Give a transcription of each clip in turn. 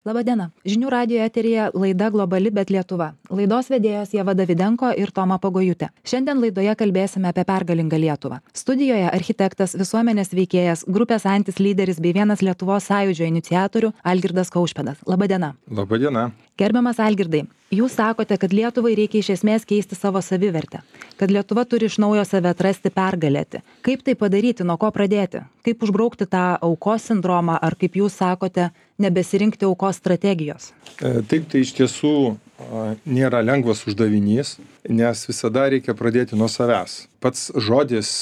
Labadiena. Žinių radijo eteryje laida Globali, bet Lietuva. Laidos vedėjos Ieva Davidenko ir Toma Pagojutė. Šiandien laidoje kalbėsime apie pergalingą Lietuvą. Studijoje architektas, visuomenės veikėjas, grupės Antis lyderis bei vienas Lietuvos sąjūdžio iniciatorių Algirdas Kaušpėdas. Labadiena. Labadiena. Gerbiamas Algirdai, jūs sakote, kad Lietuvai reikia iš esmės keisti savo savivertę, kad Lietuva turi iš naujo save atrasti, pergalėti. Kaip tai padaryti, nuo ko pradėti? Kaip užbraukti tą aukos sindromą, ar kaip jūs sakote, nebesirinkti aukos strategijos? Taip, tai iš tiesų nėra lengvas uždavinys, nes visada reikia pradėti nuo savęs. Pats žodis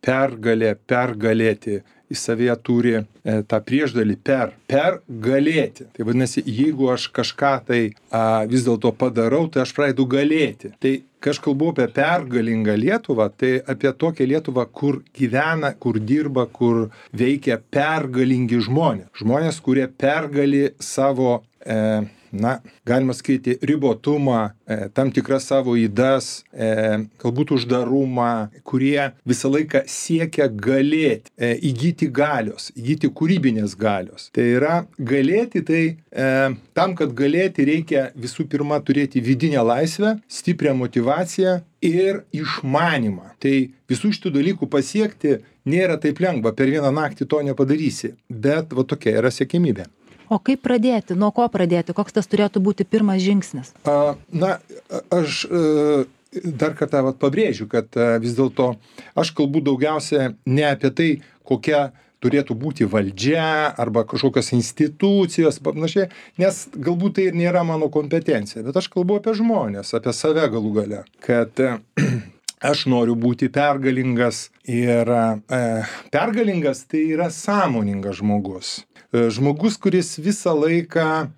pergalė, pergalėti, į savyje turi tą priešdalį pergalėti. Tai vadinasi, jeigu aš kažką tai vis dėlto padarau, tai aš pradedu galėti. Tai kai aš kalbu apie pergalingą Lietuvą, tai apie tokią Lietuvą, kur gyvena, kur dirba, kur veikia pergalingi žmonės. Žmonės, kurie pergali savo galima sakyti, ribotumą, tam tikras savo ydas, galbūt uždarumą, kurie visą laiką siekia galėti, įgyti galios, įgyti kūrybinės galios. Tai yra galėti, tai tam, kad galėti, reikia visų pirma turėti vidinę laisvę, stiprią motyvaciją ir išmanymą. Tai visų šitų dalykų pasiekti nėra taip lengva, per vieną naktį to nepadarysi, bet va tokia yra siekimybė. O kaip pradėti? Nuo ko pradėti? Koks tas turėtų būti pirmas žingsnis? Aš dar kartą pabrėžiu, kad vis dėlto aš kalbu daugiausia ne apie tai, kokia turėtų būti valdžia arba kažkokios institucijos, panašiai, nes galbūt tai ir nėra mano kompetencija, bet aš kalbu apie žmonės, apie save galų gale, kad aš noriu būti pergalingas ir pergalingas tai yra sąmoningas žmogus. Žmogus, kuris visą laiką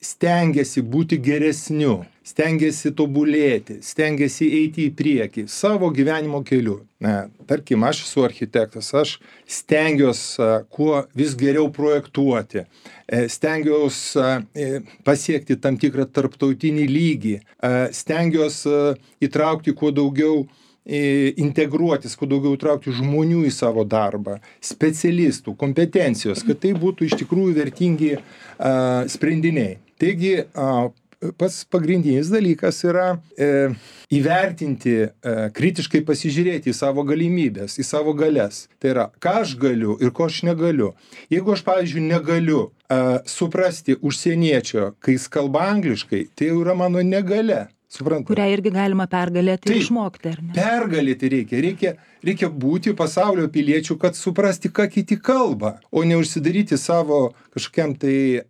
stengiasi būti geresniu, stengiasi tobulėti, stengiasi eiti į priekį savo gyvenimo keliu. Tarkim, aš esu architektas, aš stengiuosi kuo vis geriau projektuoti, stengiuosi pasiekti tam tikrą tarptautinį lygį, stengiuosi įtraukti kuo daugiau integruotis, kuo daugiau traukti žmonių į savo darbą, specialistų, kompetencijos, kad tai būtų iš tikrųjų vertingi sprendiniai. Taigi, pats pagrindinis dalykas yra įvertinti, kritiškai pasižiūrėti į savo galimybės, į savo galias. Tai yra, ką aš galiu ir ko aš negaliu. Jeigu aš, pavyzdžiui, negaliu suprasti užsieniečio, kai jis kalba angliškai, tai jau yra mano negalia. Suprantate? Kurią irgi galima pergalėti ir išmokti, ar ne? Pergalėti reikia būti pasaulio piliečių, kad suprasti, ką kiti kalba, o ne užsidaryti savo kažkokiam tai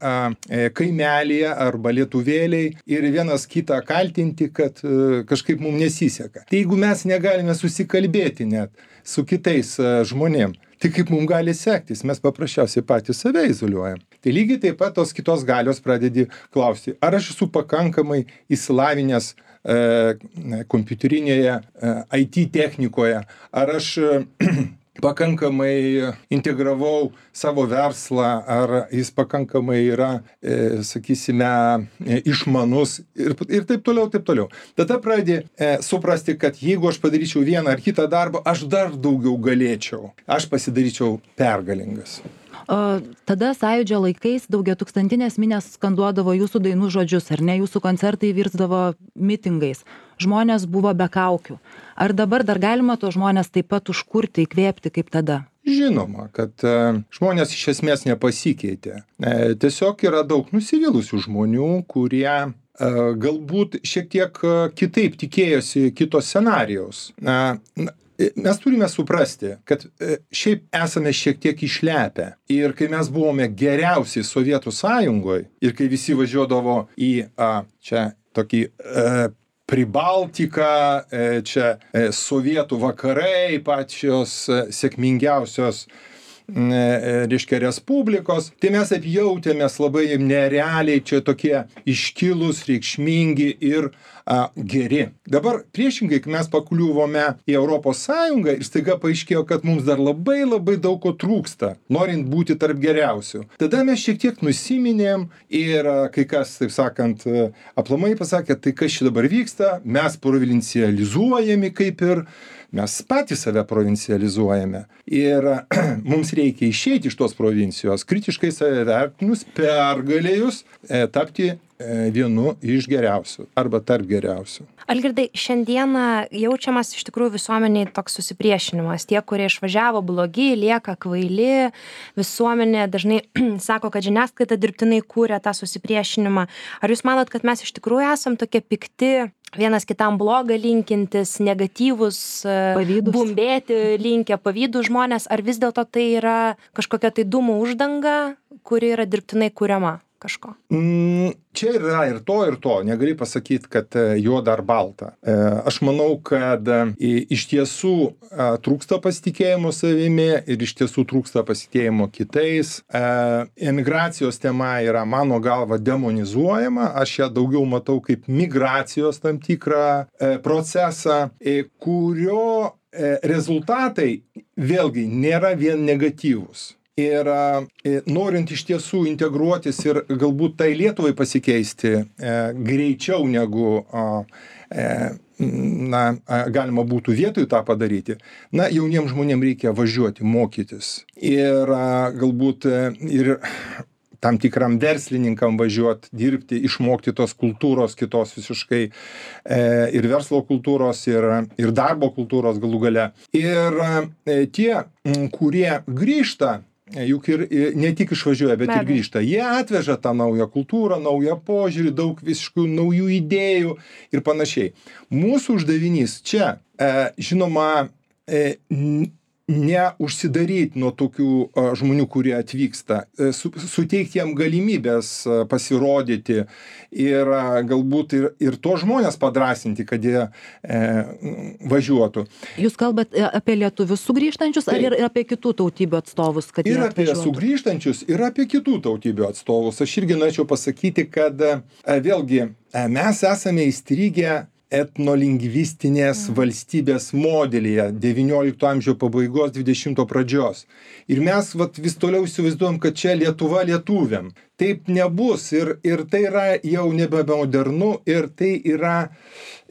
kaimelyje arba lietuvėliai ir vienas kitą kaltinti, kad kažkaip mums nesiseka. Tai jeigu mes negalime susikalbėti net su kitais žmonėm, tai kaip mums gali sektis, mes paprasčiausiai patys save izoliuojam. Tai lygiai taip pat tos kitos galios pradedi klausti, ar aš esu pakankamai įsilavinęs kompiuterinėje IT technikoje, ar aš pakankamai integravau savo verslą, ar jis pakankamai yra, sakysime, išmanus ir taip toliau, taip toliau. Tada pradedi suprasti, kad jeigu aš padaryčiau vieną ar kitą darbą, aš dar daugiau galėčiau. Aš pasidaryčiau pergalingas. Tada sąjūdžio laikais daugiatūkstantinės minios skanduodavo jūsų dainų žodžius, ar ne? Jūsų koncertai virsdavo mitingais. Žmonės buvo be kaukių. Ar dabar dar galima to žmonės taip pat užkurti, įkvėpti kaip tada? Žinoma, kad žmonės iš esmės nepasikeitė. Tiesiog yra daug nusivylusių žmonių, kurie galbūt šiek tiek kitaip tikėjosi kito scenarijaus. Mes turime suprasti, kad šiaip esame šiek tiek išlepę. Ir kai mes buvome geriausiai Sovietų Sąjungoje ir kai visi važiuodavo į čia tokį Pribaltiką, čia Sovietų vakarai, pačios sėkmingiausios reiškia respublikos, tai mes apjautėmės labai nerealiai, čia tokie iškilūs, reikšmingi ir geri. Dabar priešingai, kai mes pakliuvome į Europos Sąjungą ir staiga paaiškėjo, kad mums dar labai daug ko trūksta, norint būti tarp geriausių. Tada mes šiek tiek nusiminėm ir kai kas, taip sakant, aplamai pasakė, tai kas čia dabar vyksta, mes provincializuojami kaip ir mes patys save provincializuojame. Ir mums reikia išeiti iš tos provincijos, kritiškai save vertinus, pergalėjus, tapti vienu iš geriausių arba tarp geriausių. Algirdai, šiandieną jaučiamas iš tikrųjų visuomeniai toks susipriešinimas. Tie, kurie išvažiavo blogi, lieka kvaili. Visuomenė dažnai sako, kad žiniasklaida dirbtinai kūrė tą susipriešinimą. Ar jūs manot, kad mes iš tikrųjų esam tokie pikti, vienas kitam blogą linkintis, negatyvus, Pavydūs. bumbėti linkę, pavydų žmonės, ar vis dėlto tai yra kažkokia tai dūmų uždanga, kuri yra dirbtinai kūriama kažko? Čia yra ir to, negali pasakyti, kad juoda ar balta. Aš manau, kad iš tiesų trūksta pasitikėjimo savimi ir iš tiesų trūksta pasitikėjimo kitais. Emigracijos tema yra mano galva demonizuojama, aš ją daugiau matau kaip migracijos tam tikrą procesą, kurio rezultatai vėlgi nėra vien negatyvūs. Ir norint iš tiesų integruotis ir galbūt tai Lietuvai pasikeisti greičiau negu galima būtų vietoj tą padaryti, jauniems žmonėms reikia važiuoti, mokytis. Ir galbūt ir tam tikram verslininkam važiuoti, dirbti, išmokti tos kultūros kitos visiškai ir verslo kultūros, ir darbo kultūros galų gale. Ir tie, kurie grįžta, juk ir ne tik išvažiuoja, bet ir grįžta. Jie atveža tą naują kultūrą, naują požiūrį, daug visiškų naujų idėjų ir panašiai. Mūsų uždavinys čia, žinoma, neužsidaryti nuo tokių žmonių, kurie atvyksta, suteikti jiem galimybės pasirodyti ir galbūt ir to žmonės padrasinti, kad jie važiuotų. Jūs kalbat apie lietuvius sugrįžtančius ar ir apie kitų tautybių atstovus? Kad ir apie sugrįžtančius, ir apie kitų tautybių atstovus. Aš irgi norėčiau pasakyti, kad vėlgi mes esame įstrigę etnolingvistinės valstybės modelyje 19 amžiaus pabaigos, 20 pradžios. Ir mes vis toliau įsivaizduojam, kad čia Lietuva lietuviam. Taip nebus ir tai yra jau nebemodernu ir tai yra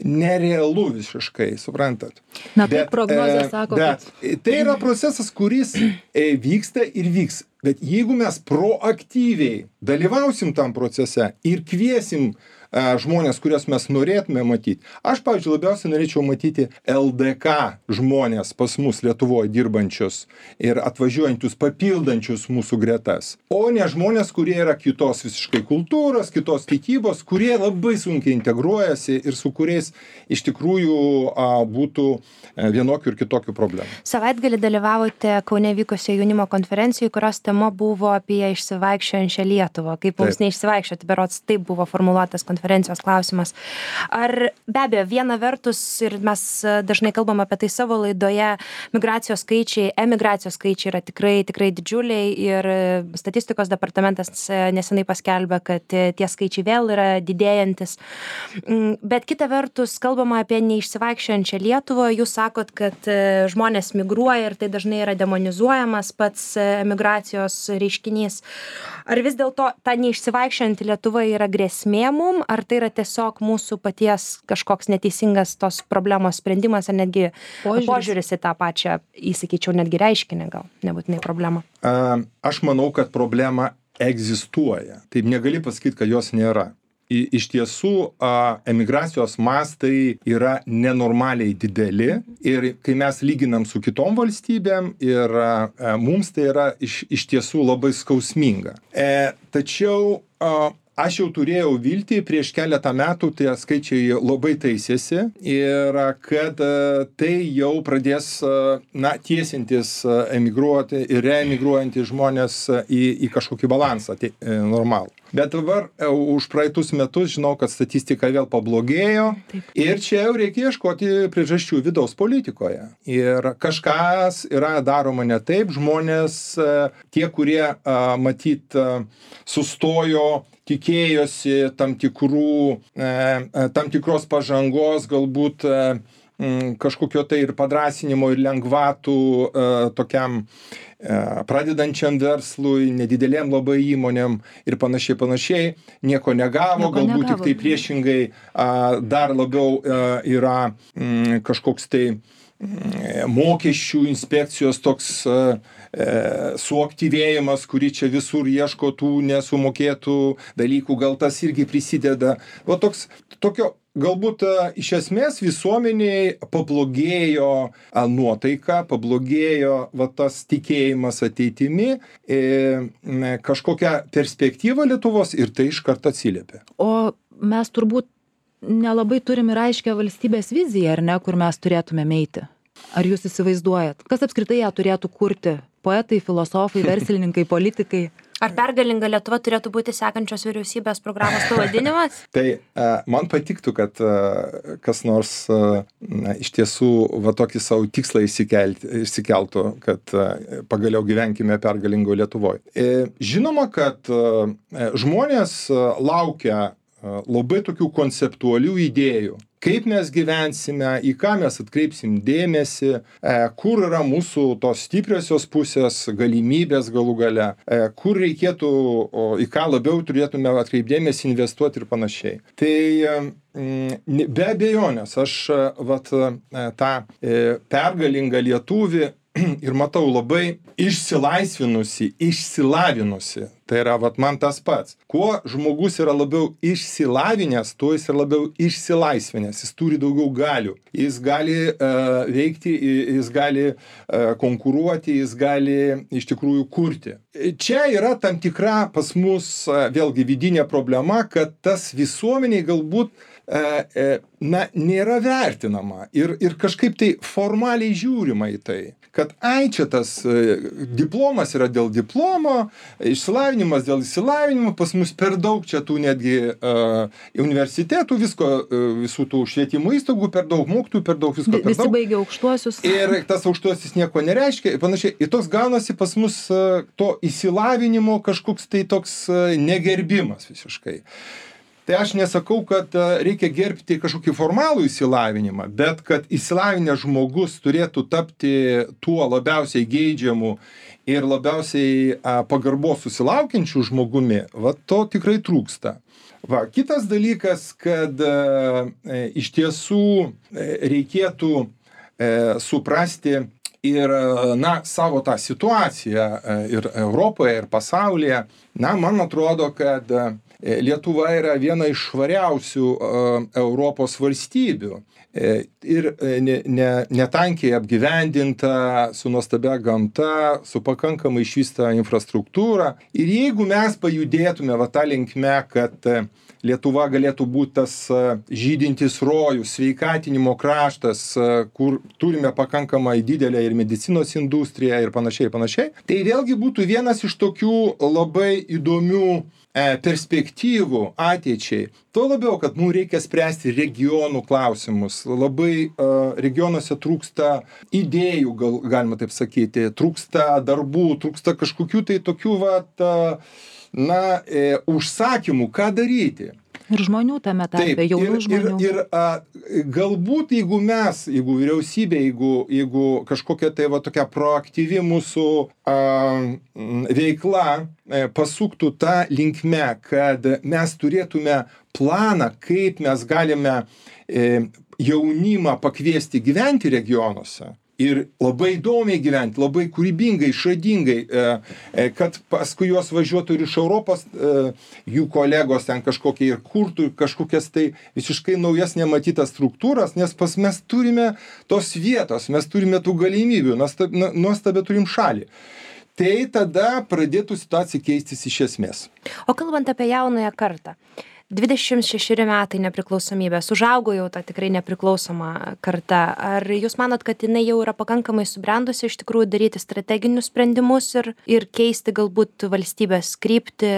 nerealu visiškai, suprantat. Bet prognozė sako, kad tai yra procesas, kuris vyksta ir vyks. Bet jeigu mes proaktyviai dalyvausim tam procese ir kviesim žmonės, kuriuos mes norėtume matyti. Aš, pavyzdžiui, labiausiai norėčiau matyti LDK žmonės pas mus Lietuvoje dirbančius ir atvažiuojančius, papildančius mūsų gretas. O ne žmonės, kurie yra kitos visiškai kultūros, kitos tikybos, kurie labai sunkiai integruojasi ir su kuriais iš tikrųjų būtų vienokių ir kitokių problemų. Savaitgalį dalyvavote Kaune vykusioje jaunimo konferencijoje, kurios tema buvo apie išsivaikščiojančią Lietuvą. Kaip mums neišsivaikščioti, berods taip buvo formuluotas konferencijos klausimas. Ar be abejo, viena vertus, ir mes dažnai kalbam apie tai savo laidoje, emigracijos skaičiai yra tikrai didžiuliai ir statistikos departamentas nesenai paskelbė, kad tie skaičiai vėl yra didėjantis. Bet kita vertus, kalbama apie neišsivaikščiojančią Lietuvą, jūs sakot, kad žmonės migruoja ir tai dažnai yra demonizuojamas pats emigracijos reiškinys. Ar vis dėlto ta neišsivaikščiojanti Lietuva yra grėsmė mum, ar tai yra tiesiog mūsų paties kažkoks neteisingas tos problemos sprendimas, ar netgi požiūris į tą pačią, įsakyčiau, netgi reiškinį, gal nebūtinai problemą? Aš manau, kad problema egzistuoja. Taip negali pasakyti, kad jos nėra. Iš tiesų, emigracijos mastai yra nenormaliai dideli ir kai mes lyginam su kitom valstybėm ir mums tai yra iš tiesų labai skausminga. Tačiau aš jau turėjau viltį prieš keletą metų, tie skaičiai labai taisėsi ir kad tai jau pradės tiesintis emigruoti ir reemigruojantys žmonės į kažkokį balansą normalų. Bet dabar už praeitus metus žinau, kad statistika vėl pablogėjo. Ir čia jau reikia ieškoti priežasčių vidaus politikoje. Ir kažkas yra daroma ne taip. Žmonės, tie, kurie matyt sustojo, tikėjosi tam tikros pažangos, galbūt kažkokio tai ir padrasinimo ir lengvatų tokiam pradedančiam verslui, nedidelėm labai įmonėm ir panašiai, nieko negavo, galbūt tik tai priešingai dar labiau yra kažkoks tai mokesčių inspekcijos toks suaktyvėjimas, kuri čia visur ieško tų nesumokėtų dalykų, gal tas irgi prisideda. Va tokio galbūt iš esmės visuomeniai pablogėjo nuotaika, pablogėjo va tas tikėjimas ateitimi, kažkokia perspektyva Lietuvos ir tai iš karto atsiliepia. O mes turbūt nelabai turim ir aiškę valstybės viziją, ar ne, kur mes turėtumėm eiti? Ar jūs įsivaizduojat? Kas apskritai ją turėtų kurti? Poetai, filosofai, verslininkai, politikai? Ar pergalinga Lietuva turėtų būti sekančios vyriausybės programos pavadinimas? Tai man patiktų, kad kas nors iš tiesų va tokį savo tikslą išsikeltų, kad pagaliau gyvenkime pergalingo Lietuvoje. Žinoma, kad žmonės laukia labai tokių konceptualių idėjų. Kaip mes gyvensime, į ką mes atkreipsim dėmesį, kur yra mūsų tos stipriosios pusės, galimybės galų gale, kur reikėtų, į ką labiau turėtume atkreipdėmėsi, investuoti ir panašiai. Tai be abejonės, aš tą pergalingą lietuvį ir matau labai išsilavinusi. Tai yra man tas pats. Kuo žmogus yra labiau išsilavinęs, tuo jis yra labiau išsilaisvinęs. Jis turi daugiau galių. Jis gali veikti, jis gali konkuruoti, jis gali iš tikrųjų kurti. Čia yra tam tikra pas mus vėlgi vidinė problema, kad tas visuomeniai galbūt nėra vertinama ir kažkaip tai formaliai žiūrima į tai, kad čia tas diplomas yra dėl diplomo, išsilavinimas dėl išsilavinimo, pas mus per daug čia tų netgi universitetų, visų tų švietimo įstaigų, per daug mokytojų, per daug visko. Visi baigia aukštuosius. Ir tas aukštuosis nieko nereiškia ir panašiai. Ir toks gaunasi pas mus to išsilavinimo kažkoks tai toks negerbimas visiškai. Tai aš nesakau, kad reikia gerbti kažkokį formalų išsilavinimą, bet kad išsilavinęs žmogus turėtų tapti tuo labiausiai geidžiamu ir labiausiai pagarbos susilaukiančių žmogumi, to tikrai trūksta. Kitas dalykas, kad iš tiesų reikėtų suprasti ir savo tą situaciją ir Europoje, ir pasaulyje. Man atrodo, kad Lietuva yra viena iš švariausių Europos valstybių ir netankiai apgyvendinta, su nuostabia gamta, su pakankamai išvystyta infrastruktūra. Ir jeigu mes pajudėtume tą linkme, kad Lietuva galėtų būti tas žydintis rojus, sveikatinimo kraštas, kur turime pakankamai didelę ir medicinos industriją ir panašiai, tai vėlgi būtų vienas iš tokių labai įdomių perspektyvų ateičiai. Tuo labiau, kad mums reikia spręsti regionų klausimus. Labai regionuose trūksta idėjų, galima taip sakyti, trūksta darbų, trūksta kažkokių tai tokių užsakymų, ką daryti. Ir žmonių tame tarpe, jaunų žmonių. Ir galbūt, jeigu vyriausybė, jeigu kažkokia tai tokia proaktyvi mūsų veikla pasuktų tą linkme, kad mes turėtume planą, kaip mes galime jaunimą pakviesti gyventi regionuose. Ir labai įdomiai gyventi, labai kūrybingai, išradingai, kad paskui juos važiuotų ir iš Europos jų kolegos ten kažkokie ir kurtų kažkokias tai visiškai naujas nematytas struktūras, nes mes turime tos vietos, mes turime tų galimybių, nuostabiai turim šalį. Tai tada pradėtų situacija keistis iš esmės. O kalbant apie jaunąją kartą, 26 metai nepriklausomybės, užaugo jau ta tikrai nepriklausoma karta. Ar jūs manot, kad jinai jau yra pakankamai subrendusi iš tikrųjų daryti strateginius sprendimus ir keisti galbūt valstybės kryptį,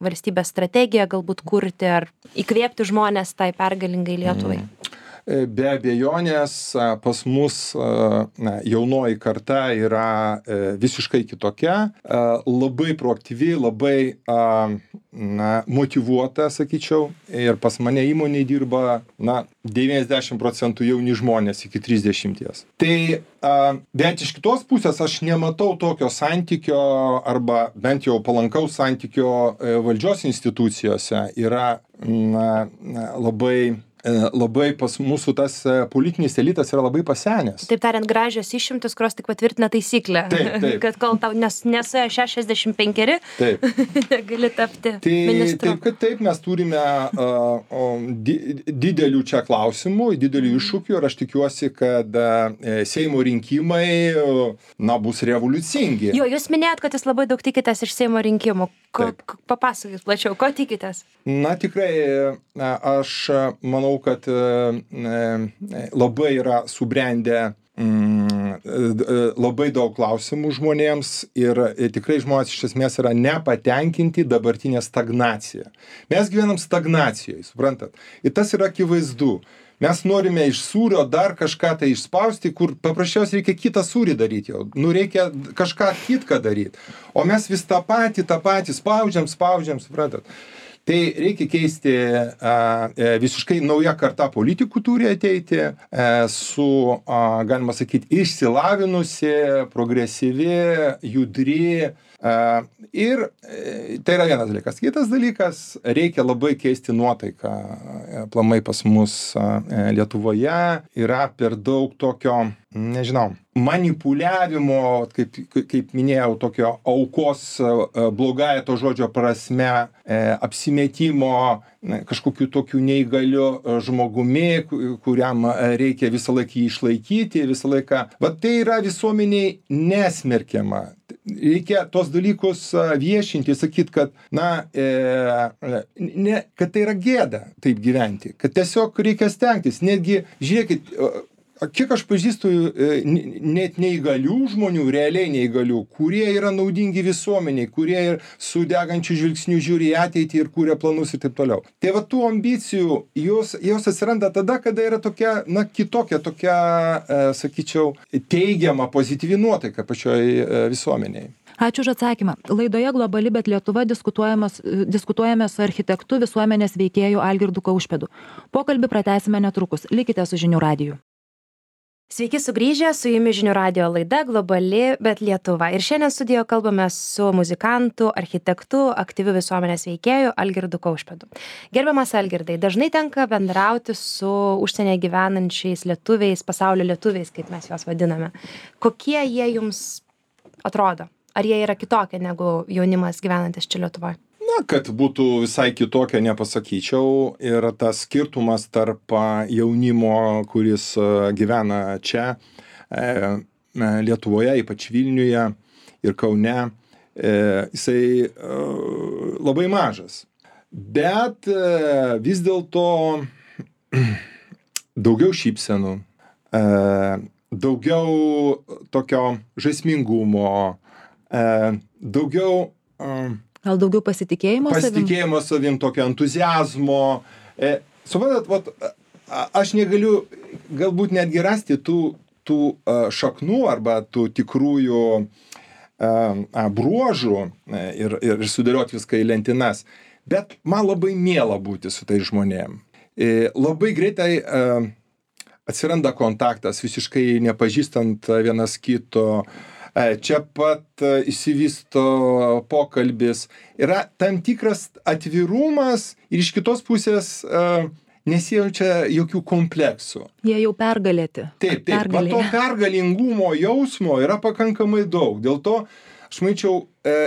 valstybės strategiją, galbūt kurti ar įkvėpti žmonės tai pergalingai Lietuvai? Be abejonės pas mus jaunoji karta yra visiškai kitokia, labai proaktyvi, labai motyvuota, sakyčiau, ir pas mane įmonėje dirba 90% jauni žmonės iki 30. Tai, bet iš kitos pusės aš nematau tokio santykio arba bent jau palankaus santykio valdžios institucijose. Yra labai labai pas mūsų tas politinis elitas yra labai pasenęs. Taip tariant, gražios išimtis, kurios tik patvirtina taisyklę. Taip. Kad kol tau nesuėjo 65, gali tapti ministru. Taip, mes turime didelių čia klausimų, didelių iššūkių ir aš tikiuosi, kad Seimo rinkimai bus revoliucingi. Jo, jūs minėjot, kad jūs labai daug tikitės iš Seimo rinkimų. Papasakokit plačiau, ko tikitės? Tikrai, aš manau, kad labai yra subrendę labai daug klausimų žmonėms ir tikrai žmonės iš esmės yra nepatenkinti dabartinė stagnacija. Mes gyvenam stagnacijoje, suprantat? Ir tas yra akivaizdu. Mes norime iš sūrio dar kažką tai išspausti, kur paprasčiausiai reikia kitą sūrį daryti jau. Reikia kažką kitką daryti. O mes vis tą patį spaudžiam, suprantat? Tai reikia keisti, visiškai nauja karta politikų turi ateiti su, galima sakyti, išsilavinusi, progresyvi, judri. Ir tai yra vienas dalykas. Kitas dalykas, reikia labai keisti nuotaiką. Aplamai pas mus Lietuvoje yra per daug tokio, nežinau, manipuliavimo, kaip minėjau, tokio aukos blogąja to žodžio prasme, apsimetimo kažkokiu tokiu neįgaliu žmogumi, kuriam reikia visą laiką išlaikyti, visą laiką. Bet tai yra visuomeniai nesmerkiama. Reikia tos dalykus viešinti, sakyti, kad, kad tai yra gėda taip gyventi, kad tiesiog reikia stengtis. Netgi, žiūrėkit, kiek aš pažįstu net neįgalių žmonių, realiai neįgalių, kurie yra naudingi visuomeniai, kurie ir su degančiu žvilgsniu žiūri į ateitį ir kūrė planus ir taip toliau. Tai va tų ambicijų, jos atsiranda tada, kada yra tokia, kitokia, sakyčiau, teigiama, pozityvi nuotaika pačioj visuomeniai. Ačiū už atsakymą. Laidoje Globali, bet Lietuva diskutuojame su architektu visuomenės veikėju Algirdu Kaušpėdu. Pokalbį pratęsime netrukus. Likite su Žinių radiju. Sveiki sugrįžę, su jumis Žinių radijo laida Globali, bet Lietuva. Ir šiandien studijoje kalbame su muzikantu, architektu, aktyviu visuomenės veikėju Algirdu Kaušpėdu. Gerbiamas Algirdai, dažnai tenka bendrauti su užsienyje gyvenančiais lietuviais, pasaulio lietuviais, kaip mes juos vadiname. Kokie jie jums atrodo? Ar jie yra kitokie negu jaunimas gyvenantis čia Lietuvoje? Kad būtų visai kitokia, nepasakyčiau. Ir tas skirtumas tarp jaunimo, kuris gyvena čia, Lietuvoje, ypač Vilniuje ir Kaune, jisai labai mažas. Bet vis dėlto daugiau šypsenų, daugiau tokio žaismingumo, daugiau... Gal daugiau pasitikėjimo savim? Pasitikėjimo savim, tokio entuziazmo. Suprantat, aš negaliu galbūt netgi rasti tų šaknų arba tų tikrųjų bruožų ir sudėlioti viską į lentynas. Bet man labai miela būti su tais žmonėm. Labai greitai atsiranda kontaktas, visiškai nepažįstant vienas kito. Čia pat išsivysto pokalbis. Yra tam tikras atvirumas ir iš kitos pusės nesijaučia jokių kompleksų. Jie jau pergalėti. Taip. Va to pergalingumo jausmo yra pakankamai daug. Dėl to, aš manyčiau,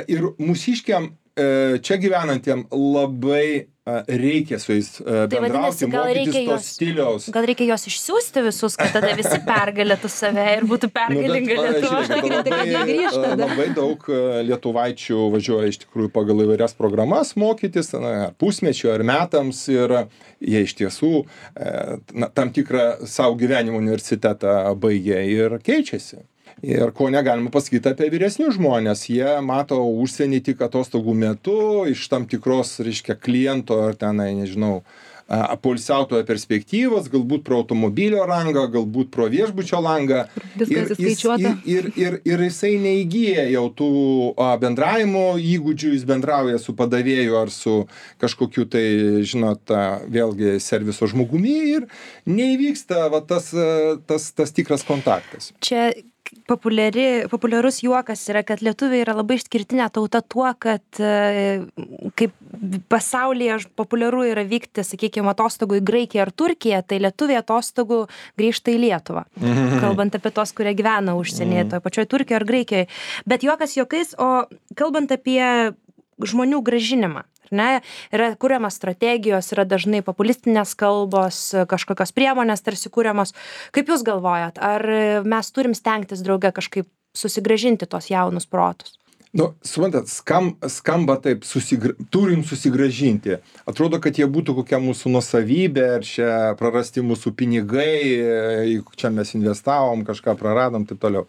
ir mūsiškiam čia gyvenantiem labai reikia su jais bendrauti, mokytis tos stiliaus. Gal reikia juos išsiųsti visus, kad tada visi pergalėtų save ir būtų pergalinga Lietuva. Labai daug lietuvaičių važiuoja iš tikrųjų pagal įvairias programas mokytis, pusmečio ar metams, ir jie iš tiesų tam tikrą savo gyvenimo universitetą baigia ir keičiasi. Ir ko negalima pasakyti apie vyresnius žmonės, jie mato užsienį tik atostogų metu, iš tam tikros, reiškia, kliento ar tenai, nežinau, poilsiautojo perspektyvos, galbūt pro automobilio langą, galbūt pro viešbučio langą. Viskas įskaičiuota. Ir jisai neįgyja jau tų bendravimo įgūdžių, jis bendrauja su padavėju ar su kažkokiu tai, žinot, vėlgi serviso žmogumi ir neįvyksta va, tas tikras kontaktas. Čia populiarus juokas yra, kad lietuviai yra labai išskirtinė tauta tuo, kad kaip pasaulyje populiaru yra vykti, sakykime, atostogų į Graikiją ar Turkiją, tai lietuviai atostogų grįžta į Lietuvą. Kalbant apie tos, kurie gyvena užsienyje, toje pačioje Turkijoje ar Graikijoje. Bet juokas juokais, o kalbant apie žmonių grąžinimą, ne, yra kuriamas strategijos, yra dažnai populistinės kalbos, kažkokios priemonės tarsi kuriamos. Kaip jūs galvojat, ar mes turim stengtis drauge kažkaip susigrąžinti tos jaunus protus? Nu, suprantat, skamba taip, turim susigrąžinti. Atrodo, kad jie būtų kokia mūsų nuosavybė, ar čia prarasti mūsų pinigai, čia mes investavom, kažką praradom, taip toliau.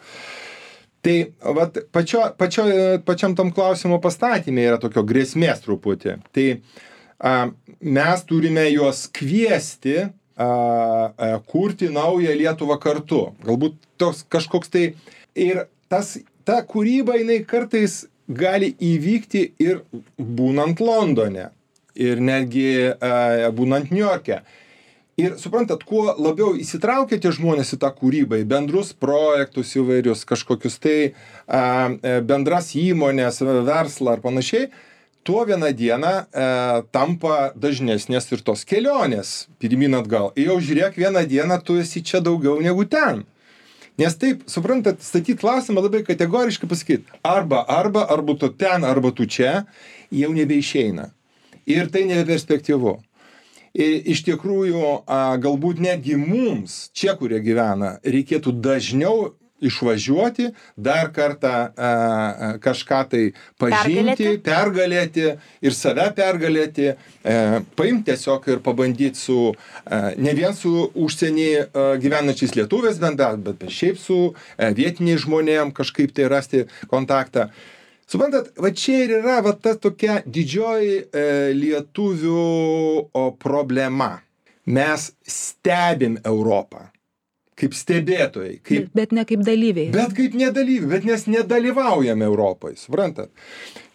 Tai vat, pačiam tam klausimo pastatymė yra tokio grėsmės truputį. Tai mes turime juos kviesti kurti naują Lietuvą kartu. Galbūt toks kažkoks tai. Ir ta kūryba, jinai kartais gali įvykti ir būnant Londone, ir netgi būnant Niujorke. Ir suprantat, kuo labiau įsitraukiate žmonės į tą kūrybą, į bendrus projektus įvairius, kažkokius tai bendras įmonės, verslą ar panašiai, tuo vieną dieną tampa dažnesnės ir tos kelionės pirmyn atgal. Ir jau žiūrėk, vieną dieną tu esi čia daugiau negu ten. Nes taip, suprantat, statyti klausimą labai kategoriškai pasakyti, arba tu ten, arba tu čia, jau nebeišeina. Ir tai nebeperspektyvu. Iš tikrųjų, galbūt netgi mums, čia, kurie gyvena, reikėtų dažniau išvažiuoti, dar kartą kažką tai pažinti, pergalėti ir save pergalėti, paimti tiesiog ir pabandyti ne vien su užsienį gyvenančiais lietuviais bendrauti, bet šiaip su vietiniais žmonėm kažkaip tai rasti kontaktą. Suprantat, va čia ir yra va ta tokia didžioji lietuvių problema. Mes stebim Europą kaip stebėtojai. Bet ne kaip dalyviai. Bet kaip nedalyviai, bet mes nedalyvaujame Europai, suprantat.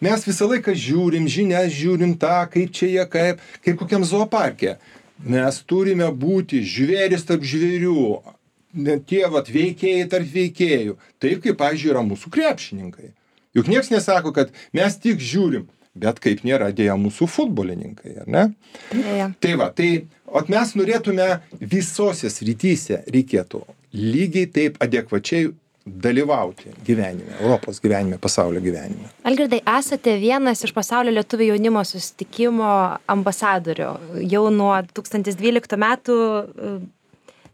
Mes visą laiką žiūrim žinias, žiūrim tą, kaip čia jie, kaip kokiam zooparke. Mes turime būti žvėris tarp žvėrių, tie vat veikėjai tarp veikėjų. Taip kaip, pavyzdžiui, yra mūsų krepšininkai. Juk nieks nesako, kad mes tik žiūrim, bet kaip nėra dėja mūsų futbolininkai, ar ne? Dėja. Tai va, mes norėtume visose srityse reikėtų lygiai taip adekvačiai dalyvauti gyvenime, Europos gyvenime, pasaulio gyvenime. Algirdai, esate vienas iš pasaulio lietuvių jaunimo susitikimo ambasadorių. Jau nuo 2012 metų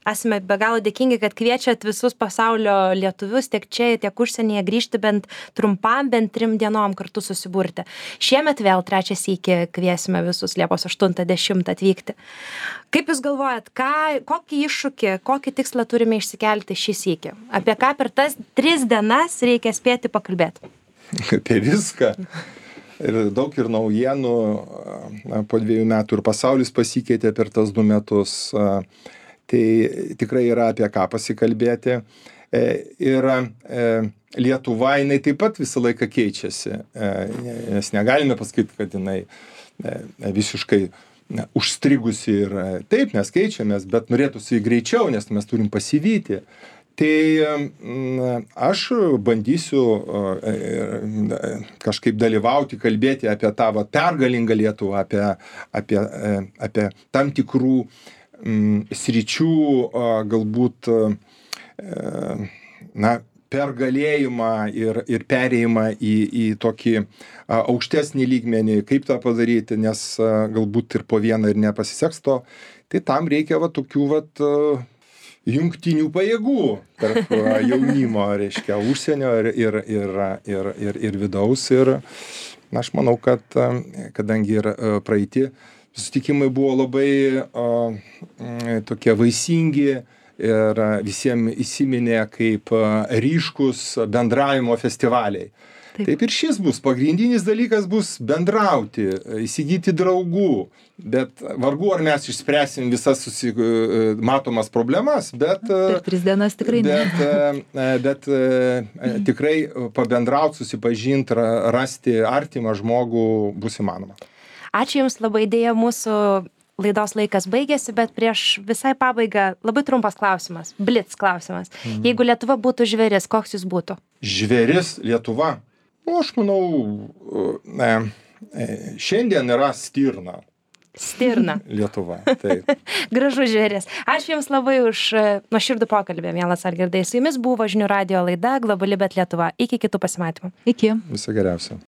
esame be galo dėkingi, kad kviečiat visus pasaulio lietuvius tiek čia, tiek užsienyje grįžti bent trumpam, bent 3 dienom kartu susiburti. Šiemet vėl 3 sykį kviesime visus Liepos 8-10 atvykti. Kaip jūs galvojat, kokį iššūkį, kokį tikslą turime išsikelti šį sykį? Apie ką per tas 3 dienas reikia spėti pakalbėti? Apie viską. Ir daug ir naujienų. Po 2 metų ir pasaulis pasikeitė per tas 2 metus. Tai tikrai yra apie ką pasikalbėti. Ir Lietuva, jinai taip pat visą laiką keičiasi. Nes negalime pasakyti, kad jinai visiškai užstrigusi ir taip mes keičiamės, bet norėtųsi greičiau, nes mes turim pasivyti. Tai aš bandysiu kažkaip dalyvauti, kalbėti apie tą pergalingą Lietuvą, apie tam tikrų sričių galbūt pergalėjimą ir perėjimą į tokį aukštesnį lygmenį, kaip tą padaryti, nes galbūt ir po vieną ir nepasiseks to, tai tam reikia tokių jungtinių pajėgų tarp jaunimo, reiškia, užsienio ir vidaus. Ir aš manau, kad kadangi ir praeiti susitikimai buvo labai tokie vaisingi ir visiems įsiminė kaip ryškus bendravimo festivaliai. Taip ir šis bus. Pagrindinis dalykas bus bendrauti, įsigyti draugų, bet vargu ar mes išspręsim visas matomas problemas, bet per 3 dienas tikrai ne. Bet tikrai pabendrauti, susipažinti, rasti artimą žmogų bus įmanoma. Ačiū Jums labai, dėja mūsų laidos laikas baigėsi, bet prieš visai pabaigą labai trumpas klausimas, blitz klausimas. Jeigu Lietuva būtų žvėris, koks jis būtų? Žvėris Lietuva? Aš manau, šiandien yra stirna. Stirna. Lietuva, taip. Gražus žvėris. Ačiū Jums labai už nuoširdų pokalbį, mielas Algirdai. Su Jumis buvo Žinių radijo laida Globali, bet Lietuva. Iki kitų pasimatymų. Iki. Viso geriausio.